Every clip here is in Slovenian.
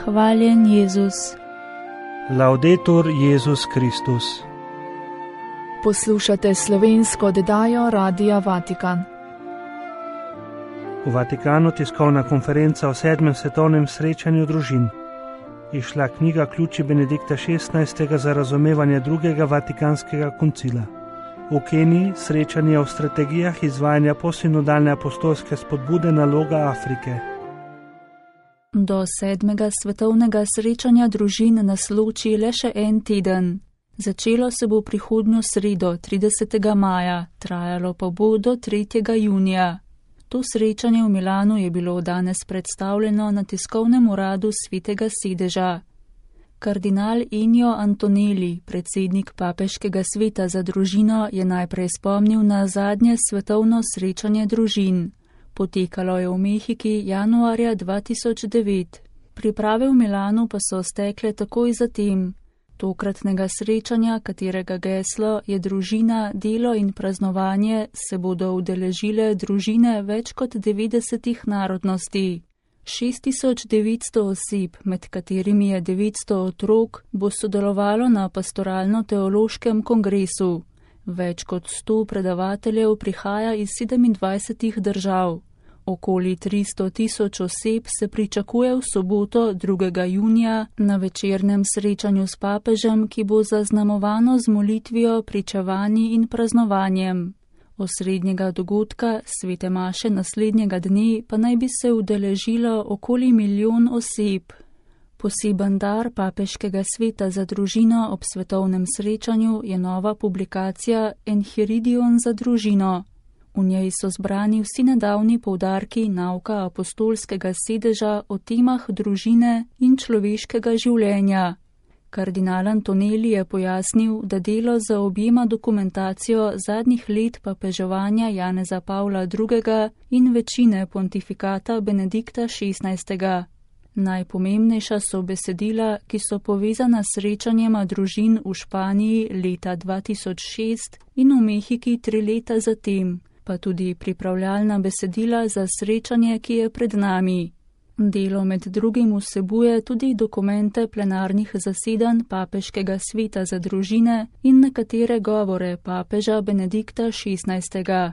Hvaljen Jezus. Laudetur Jezus Kristus. Poslušate slovensko oddajo Radia Vatikan. V Vatikanu tiskovna konferenca o 7. svetovnem srečanju družin. Izšla knjiga Ključi Benedikta XVI. Za razumevanje drugega vatikanskega koncila. V Keniji srečanje o strategijah izvajanja posinodalne apostolske spodbude naloga Afrike. Do 7. svetovnega srečanja družin nas loči le še en teden. Začelo se bo prihodnjo sredo, 30. maja, trajalo pa bo do 3. junija. To srečanje v Milanu je bilo danes predstavljeno na tiskovnem uradu Svetega sedeža. Kardinal Ennio Antonelli, predsednik Papeškega sveta za družino, je najprej spomnil na zadnje svetovno srečanje družin. Potekalo je v Mehiki januarja 2009. Priprave v Milanu pa so stekle takoj zatem. Tokratnega srečanja, katerega geslo je družina, delo in praznovanje, se bodo udeležile družine več kot 90 narodnosti. 6900 oseb, med katerimi je 900 otrok, bo sodelovalo na pastoralno-teološkem kongresu. Več kot 100 predavateljev prihaja iz 27 držav. Okoli 300 000 oseb se pričakuje v soboto 2. junija na večernem srečanju s papežem, ki bo zaznamovano z molitvijo, pričevanji in praznovanjem. Osrednjega dogodka, svete maše naslednjega dne, pa naj bi se udeležilo okoli 1 milijon oseb. Poseben dar Papeškega sveta za družino ob svetovnem srečanju je nova publikacija Enchiridion za družino. V njej so zbrani vsi nedavni poudarki nauka apostolskega sedeža o temah družine in človeškega življenja. Kardinal Antonelli je pojasnil, da delo zaobjema dokumentacijo zadnjih let papeževanja Janeza Pavla II. In večine pontifikata Benedikta XVI. Najpomembnejša so besedila, ki so povezana s srečanjema družin v Španiji leta 2006 in v Mehiki 3 leta zatem, pa tudi pripravljalna besedila za srečanje, ki je pred nami. Delo med drugim vsebuje tudi dokumente plenarnih zasedanj Papeškega sveta za družine in nekatere govore papeža Benedikta XVI.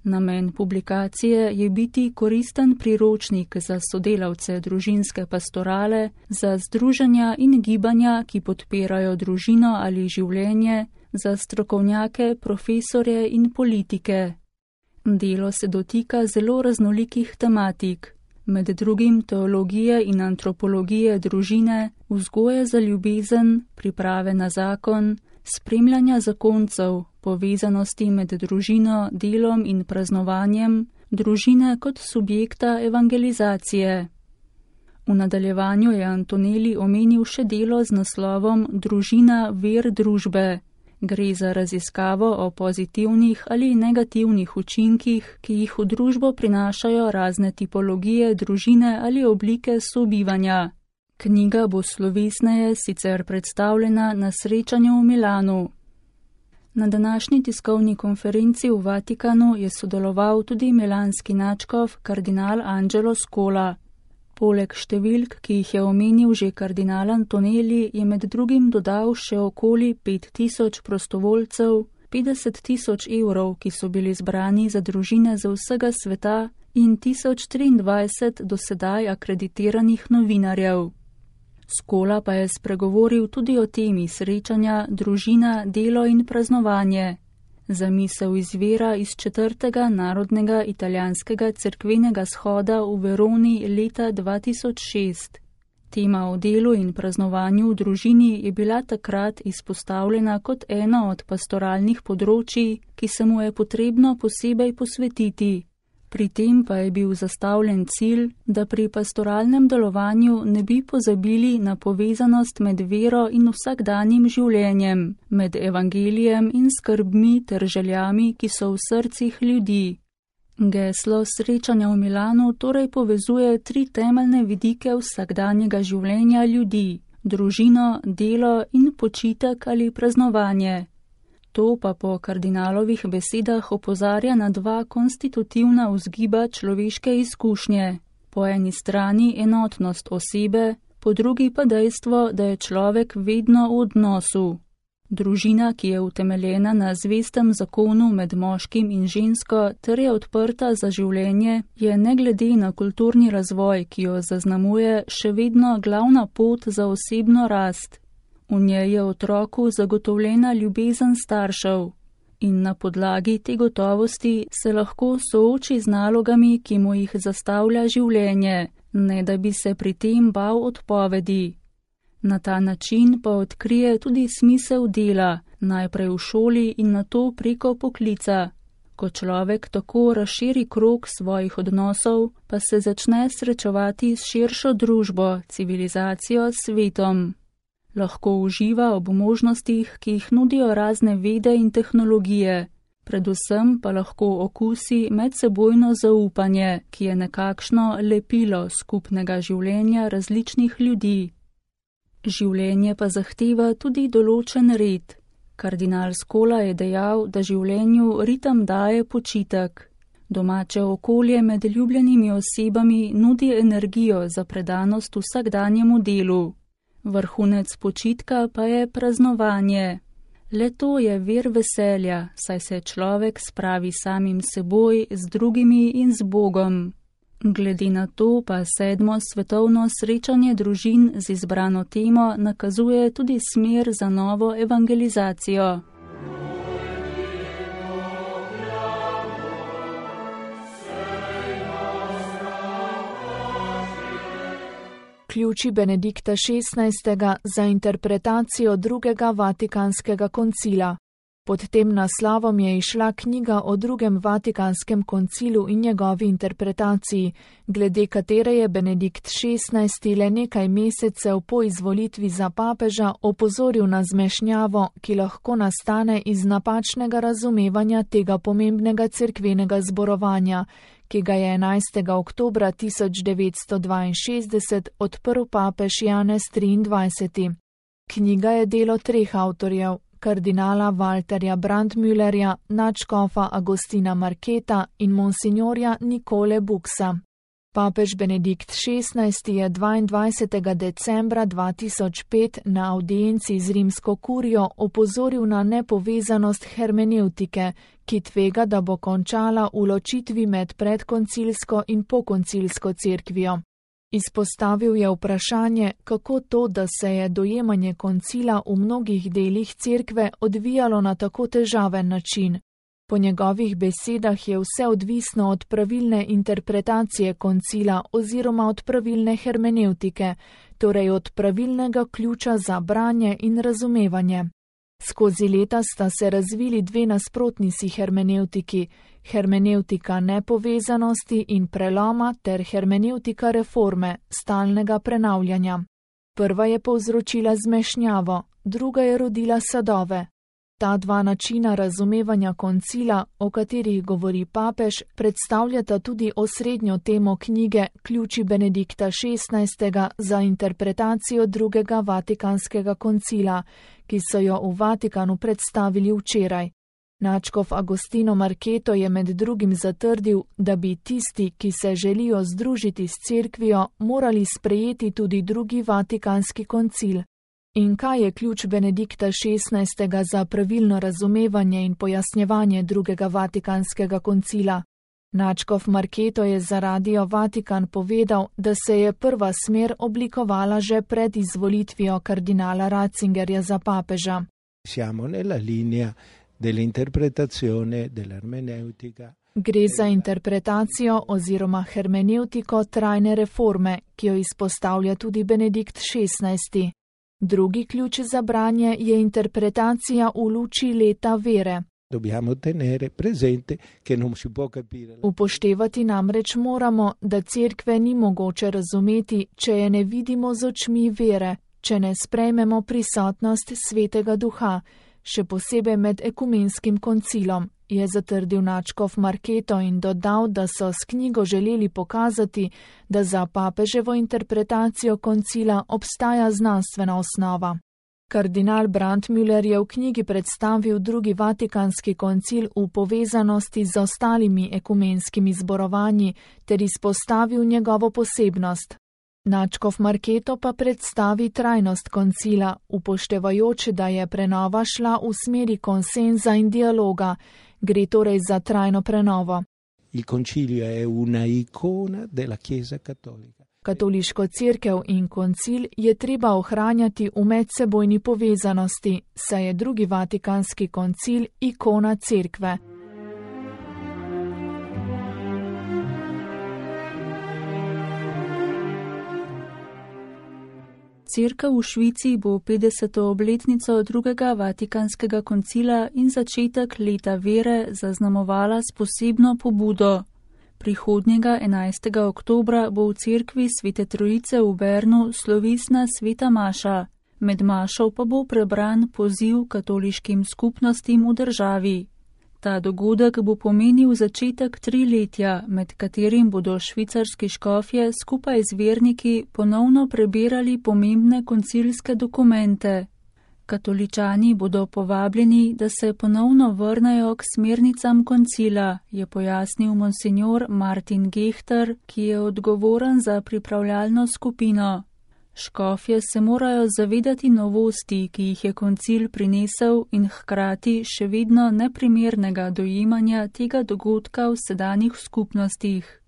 Namen publikacije je biti koristen priročnik za sodelavce družinske pastorale, za združenja in gibanja, ki podpirajo družino ali življenje, za strokovnjake, profesorje in politike. Delo se dotika zelo raznolikih tematik, med drugim teologije in antropologije družine, vzgoje za ljubezen, priprave na zakon, spremljanja zakoncev, povezanosti med družino, delom in praznovanjem, družine kot subjekta evangelizacije. V nadaljevanju je Antonelli omenil še delo z naslovom Družina ver družbe. Gre za raziskavo o pozitivnih ali negativnih učinkih, ki jih v družbo prinašajo razne tipologije družine ali oblike sobivanja. Knjiga bo slovesneje sicer predstavljena na srečanju v Milanu. Na današnji tiskovni konferenci v Vatikanu je sodeloval tudi milanski nadškof kardinal Angelo Scola. Poleg številk, ki jih je omenil že kardinal Antonelli, je med drugim dodal še okoli 5000 prostovoljcev, 50 000 evrov, ki so bili zbrani za družine z vsega sveta in 1023 do sedaj akreditiranih novinarjev. Scola pa je spregovoril tudi o temi srečanja družina, delo in praznovanje. Zamisel izvira iz 4. narodnega italijanskega cerkvenega shoda v Veroni leta 2006. Tema o delu in praznovanju v družini je bila takrat izpostavljena kot eno od pastoralnih področij, ki se mu je potrebno posebej posvetiti. Pri tem pa je bil zastavljen cilj, da pri pastoralnem delovanju ne bi pozabili na povezanost med vero in vsakdanjim življenjem, med evangelijem in skrbmi ter željami, ki so v srcih ljudi. Geslo srečanja v Milanu torej povezuje 3 temeljne vidike vsakdanjega življenja ljudi: družino, delo in počitek ali praznovanje. To pa po kardinalovih besedah opozarja na 2 konstitutivna vzgiba človeške izkušnje. Po eni strani enotnost osebe, po drugi pa dejstvo, da je človek vedno v odnosu. Družina, ki je utemeljena na zvestem zakonu med moškim in žensko ter je odprta za življenje, je ne glede na kulturni razvoj, ki jo zaznamuje, še vedno glavna pot za osebno rast. V njej je otroku zagotovljena ljubezen staršev in na podlagi te gotovosti se lahko sooči z nalogami, ki mu jih zastavlja življenje, ne da bi se pri tem bal odpovedi. Na ta način pa odkrije tudi smisel dela, najprej v šoli in nato preko poklica. Ko človek tako razširi krog svojih odnosov, pa se začne srečevati s širšo družbo, civilizacijo, svetom. Lahko uživa ob možnostih, ki jih nudijo razne vede in tehnologije, predvsem pa lahko okusi medsebojno zaupanje, ki je nekakšno lepilo skupnega življenja različnih ljudi. Življenje pa zahteva tudi določen red. Kardinal Scola je dejal, da življenju ritem daje počitek. Domače okolje med ljubljenimi osebami nudi energijo za predanost vsakdanjemu delu. Vrhunec počitka pa je praznovanje. Le to je vir veselja, saj se človek spravi samim seboj, z drugimi in z Bogom. Glede na to pa 7. svetovno srečanje družin z izbrano temo nakazuje tudi smer za novo evangelizacijo. Ključi Benedikta XVI. Za interpretacijo drugega Vatikanskega koncila. Pod tem naslovom je izšla knjiga o drugem Vatikanskem koncilu in njegovi interpretaciji, glede katere je Benedikt XVI. Le nekaj mesecev po izvolitvi za papeža opozoril na zmešnjavo, ki lahko nastane iz napačnega razumevanja tega pomembnega cerkvenega zborovanja, ki ga je 11. oktobra 1962 odprl papež Janez XXIII. Knjiga je delo 3 avtorjev, kardinala Walterja Brandmüllerja, nadškofa Agostina Marketa in monsignorja Nikole Buksa. Papež Benedikt XVI. Je 22. decembra 2005 na audienci z rimsko kurijo opozoril na nepovezanost hermenevtike, ki tvega, da bo končala v ločitvi med predkoncilsko in pokoncilsko cerkvijo. Izpostavil je vprašanje, kako to, da se je dojemanje koncila v mnogih delih cerkve odvijalo na tako težaven način. Po njegovih besedah je vse odvisno od pravilne interpretacije koncila oziroma od pravilne hermenevtike, torej od pravilnega ključa za branje in razumevanje. Skozi leta sta se razvili 2 nasprotni si hermenevtiki, hermenevtika nepovezanosti in preloma ter hermenevtika reforme, stalnega prenavljanja. Prva je povzročila zmešnjavo, druga je rodila sadove. Ta 2 načina razumevanja koncila, o katerih govori papež, predstavljata tudi osrednjo temo knjige Ključi Benedikta XVI. Za interpretacijo drugega Vatikanskega koncila, ki so jo v Vatikanu predstavili včeraj. Nadškof Agostino Marketo je med drugim zatrdil, da bi tisti, ki se želijo združiti s cerkvijo, morali sprejeti tudi drugi Vatikanski koncil. In kaj je ključ Benedikta XVI. Za pravilno razumevanje in pojasnjevanje drugega Vatikanskega koncila? Nadškof Marketo je za Radio Vatikan povedal, da se je prva smer oblikovala že pred izvolitvijo kardinala Ratzingerja za papeža. Gre za interpretacijo oziroma hermenevtiko trajne reforme, ki jo izpostavlja tudi Benedikt XVI. Drugi ključ za branje je interpretacija v luči leta vere. Upoštevati namreč moramo, da cerkve ni mogoče razumeti, če je ne vidimo z očmi vere, če ne sprejmemo prisotnost Svetega Duha, še posebej med ekumenskim koncilom, je zatrdil nadškof Marketo in dodal, da so s knjigo želeli pokazati, da za papeževo interpretacijo koncila obstaja znanstvena osnova. Kardinal Brandmüller je v knjigi predstavil drugi Vatikanski koncil v povezanosti z ostalimi ekumenskimi zborovanji ter izpostavil njegovo posebnost. Nadškof Marketo pa predstavi trajnost koncila, upoštevajoč, da je prenova šla v smeri konsenza in dialoga. Gre torej za trajno prenovo. Il concilio è una icona della Chiesa cattolica. Katoliško cerkev in koncil je treba ohranjati v medsebojni povezanosti, saj je drugi vatikanski koncil ikona cerkve. Cerkev v Švici bo 50. obletnico drugega vatikanskega koncila in začetek leta vere zaznamovala s posebno pobudo. Prihodnjega 11. oktobra bo v cerkvi Svete Trojice v Bernu slovesna sveta maša. Med mašo pa bo prebran poziv katoliškim skupnostim v državi. Ta dogodek bo pomenil začetek triletja, med katerim bodo švicarski škofje skupaj z verniki ponovno prebirali pomembne koncilske dokumente. Katoličani bodo povabljeni, da se ponovno vrnejo k smernicam koncila, je pojasnil monsinjor Martin Gehter, ki je odgovoren za pripravljalno skupino. Škofje se morajo zavedati novosti, ki jih je koncil prinesel in hkrati še vedno neprimernega dojemanja tega dogodka v sedanjih skupnostih.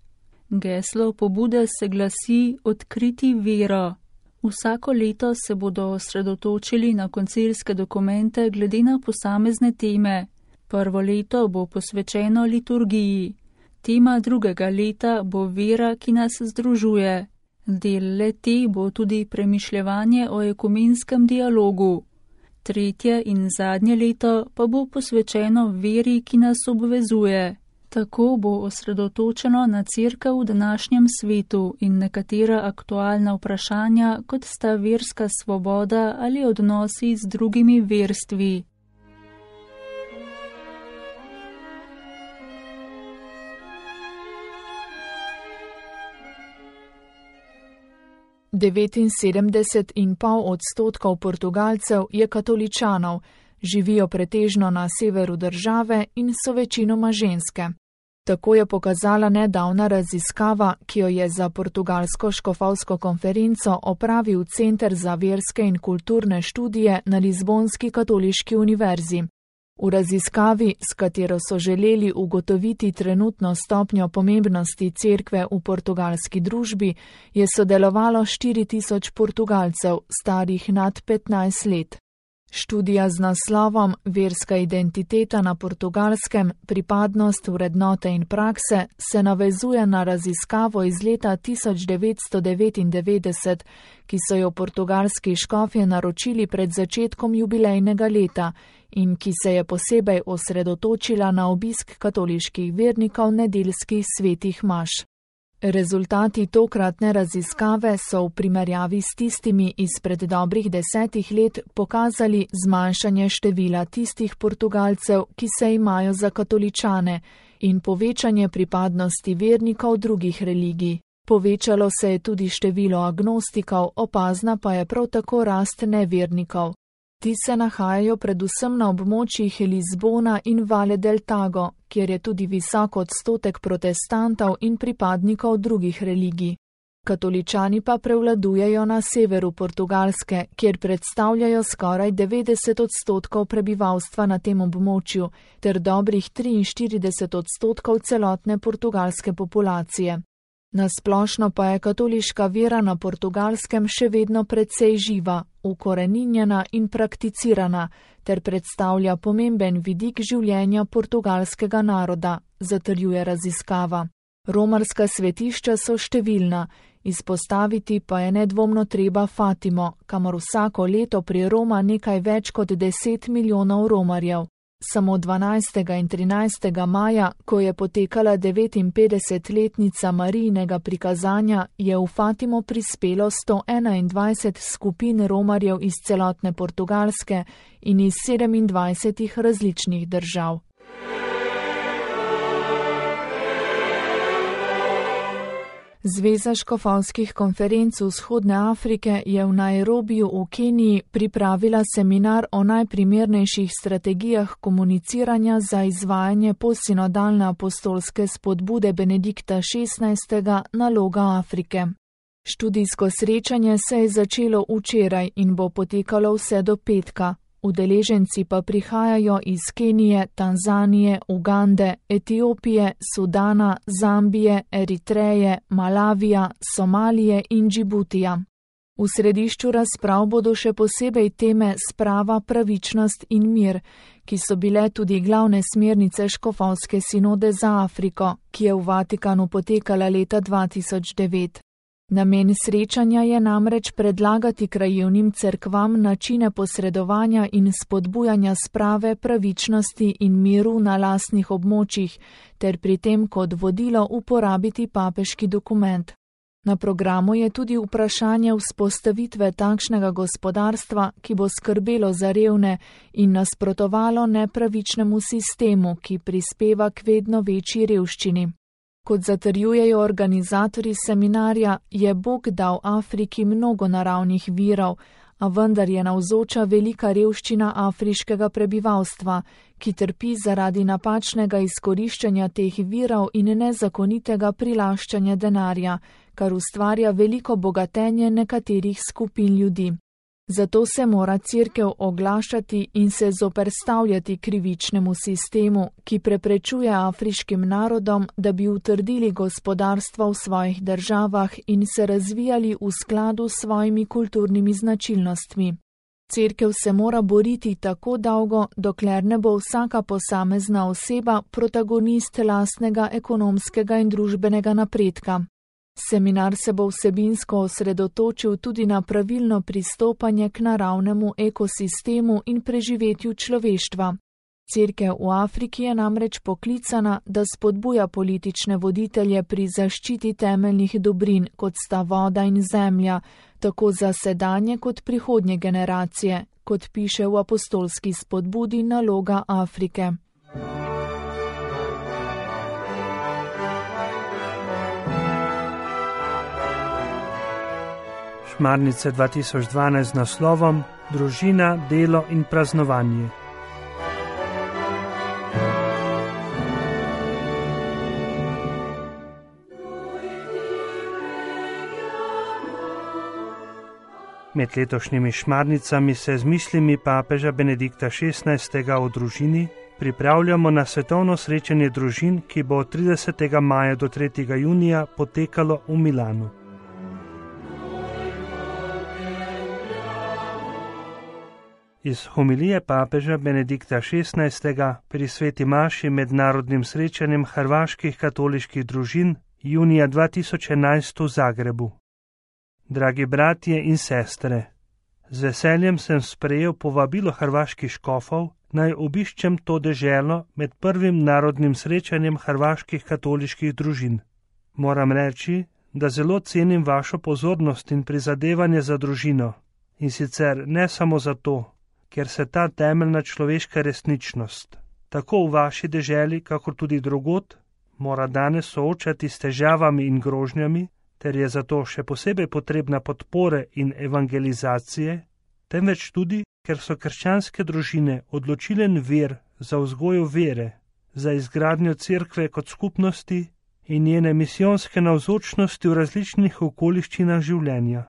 Geslo pobude se glasi Odkriti vero. Vsako leto se bodo osredotočili na koncilske dokumente glede na posamezne teme. Prvo leto bo posvečeno liturgiji. Tema drugega leta bo vera, ki nas združuje. Del le-te bo tudi premišljevanje o ekumenskem dialogu. Tretje in zadnje leto pa bo posvečeno veri, ki nas obvezuje. Tako bo osredotočeno na cerkev v današnjem svetu in nekatera aktualna vprašanja, kot sta verska svoboda ali odnosi z drugimi verstvi. ,7,5% Portugalcev je katoličanov, živijo pretežno na severu države in so večinoma ženske. Tako je pokazala nedavna raziskava, ki jo je za portugalsko škofovsko konferenco opravil Center za verske in kulturne študije na Lizbonski katoliški univerzi. V raziskavi, s katero so želeli ugotoviti trenutno stopnjo pomembnosti cerkve v portugalski družbi, je sodelovalo 4.000 Portugalcev, starih nad 15 let. Študija z naslovom Verska identiteta na Portugalskem, pripadnost, vrednote in prakse se navezuje na raziskavo iz leta 1999, ki so jo portugalski škofje naročili pred začetkom jubilejnega leta in ki se je posebej osredotočila na obisk katoliških vernikov nedeljskih svetih maš. Rezultati tokratne raziskave so v primerjavi s tistimi izpred dobrih 10 let pokazali zmanjšanje števila tistih Portugalcev, ki se imajo za katoličane, in povečanje pripadnosti vernikov drugih religij. Povečalo se je tudi število agnostikov, opazna pa je prav tako rast nevernikov. Ti se nahajajo predvsem na območjih Lizbona in Vale del Tago, kjer je tudi visok odstotek protestantov in pripadnikov drugih religij. Katoličani pa prevladujejo na severu Portugalske, kjer predstavljajo skoraj 90% prebivalstva na tem območju, ter dobrih 43% celotne portugalske populacije. Nasplošno pa je katoliška vera na Portugalskem še vedno precej živa, ukoreninjena in prakticirana, ter predstavlja pomemben vidik življenja portugalskega naroda, zatrjuje raziskava. Romarska svetišča so številna, izpostaviti pa je nedvomno treba Fatimo, kamor vsako leto priroma nekaj več kot 10 milijonov romarjev. Samo 12. in 13. maja, ko je potekala 59-letnica Marijinega prikazanja, je v Fatimo prispelo 121 skupin romarjev iz celotne Portugalske in iz 27 različnih držav. Zveza škofovskih konferenc Vzhodne Afrike je v Nairobiju v Keniji pripravila seminar o najprimernejših strategijah komuniciranja za izvajanje postsinodalne apostolske spodbude Benedikta XVI. Naloga Afrike. Študijsko srečanje se je začelo včeraj in bo potekalo vse do petka. Udeleženci pa prihajajo iz Kenije, Tanzanije, Ugande, Etiopije, Sudana, Zambije, Eritreje, Malavija, Somalije in Džibutija. V središču razprav bodo še posebej teme sprava, pravičnost in mir, ki so bile tudi glavne smernice škofovske sinode za Afriko, ki je v Vatikanu potekala leta 2009. Namen srečanja je namreč predlagati krajevnim cerkvam načine posredovanja in spodbujanja sprave, pravičnosti in miru na lastnih območjih, ter pri tem kot vodilo uporabiti papeški dokument. Na programu je tudi vprašanje vzpostavitve takšnega gospodarstva, ki bo skrbelo za revne in nasprotovalo nepravičnemu sistemu, ki prispeva k vedno večji revščini. Kot zatrjujejo organizatorji seminarja, je Bog dal Afriki mnogo naravnih virov, a vendar je navzoča velika revščina afriškega prebivalstva, ki trpi zaradi napačnega izkoriščanja teh virov in nezakonitega prilaščanja denarja, kar ustvarja veliko bogatenje nekaterih skupin ljudi. Zato se mora Cerkev oglašati in se zoperstavljati krivičnemu sistemu, ki preprečuje afriškim narodom, da bi utrdili gospodarstvo v svojih državah in se razvijali v skladu s svojimi kulturnimi značilnostmi. Cerkev se mora boriti tako dolgo, dokler ne bo vsaka posamezna oseba protagonist lastnega ekonomskega in družbenega napredka. Seminar se bo vsebinsko osredotočil tudi na pravilno pristopanje k naravnemu ekosistemu in preživetju človeštva. Cerkev v Afriki je namreč poklicana, da spodbuja politične voditelje pri zaščiti temeljnih dobrin, kot sta voda in zemlja, tako za sedanje kot prihodnje generacije, kot piše v apostolski spodbudi Naloga Afrike. Šmarnice 2012 z naslovom Družina, delo in praznovanje. Med letošnjimi šmarnicami se z mislimi papeža Benedikta XVI. O družini pripravljamo na svetovno srečanje družin, ki bo od 30. maja do 3. junija potekalo v Milanu. Iz homilije papeža Benedikta XVI. Pri sveti maši mednarodnim srečanjem hrvaških katoliških družin junija 2011 v Zagrebu. Dragi bratje in sestre, z veseljem sem sprejel povabilo hrvaških škofov, naj obiščem to deželo med prvim narodnim srečanjem hrvaških katoliških družin. Moram reči, da zelo cenim vašo pozornost in prizadevanje za družino, in sicer ne samo zato, ker se ta temeljna človeška resničnost, tako v vaši deželi, kakor tudi drugod, mora danes soočati s težavami in grožnjami, ter je zato še posebej potrebna podpore in evangelizacije, temveč tudi, ker so krščanske družine odločilen vir za vzgojo vere, za izgradnjo cerkve kot skupnosti in njene misijonske navzočnosti v različnih okoliščinah življenja.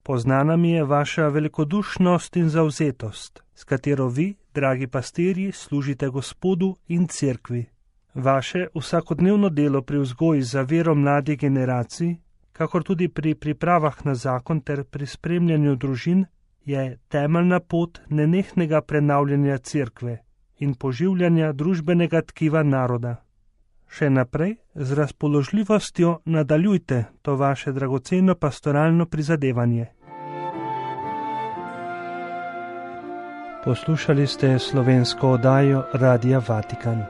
Poznana mi je vaša velikodušnost in zavzetost, s katero vi, dragi pastirji, služite Gospodu in cerkvi. Vaše vsakodnevno delo pri vzgoji za vero mladih generacij, kakor tudi pri pripravah na zakon ter pri spremljanju družin, je temeljna pot nenehnega prenavljanja cerkve in poživljanja družbenega tkiva naroda. Še naprej z razpoložljivostjo nadaljujte to vaše dragoceno pastoralno prizadevanje. Poslušali ste slovensko oddajo Radia Vatikan.